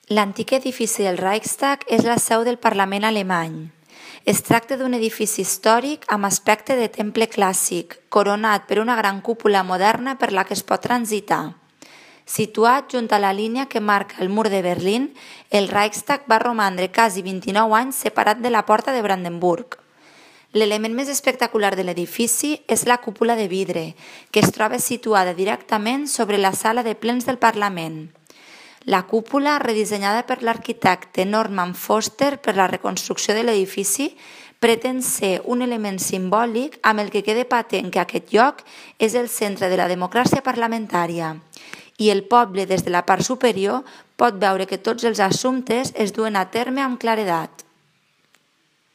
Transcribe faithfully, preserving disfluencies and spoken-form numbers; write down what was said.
L'antic edifici del Reichstag és la seu del Parlament alemany. Es tracta d'un edifici històric amb aspecte de temple clàssic, coronat per una gran cúpula moderna per la que es pot transitar. Situat junt a la línia que marca el mur de Berlín, el Reichstag va romandre quasi vint-i-nou anys separat de la porta de Brandenburg. L'element més espectacular de l'edifici és la cúpula de vidre, que es troba situada directament sobre la sala de plens del Parlament. La cúpula, redissenyada per l'arquitecte Norman Foster per la reconstrucció de l'edifici, pretén ser un element simbòlic amb el que quede patent que aquest lloc és el centre de la democràcia parlamentària i el poble des de la part superior pot veure que tots els assumptes es duen a terme amb claredat.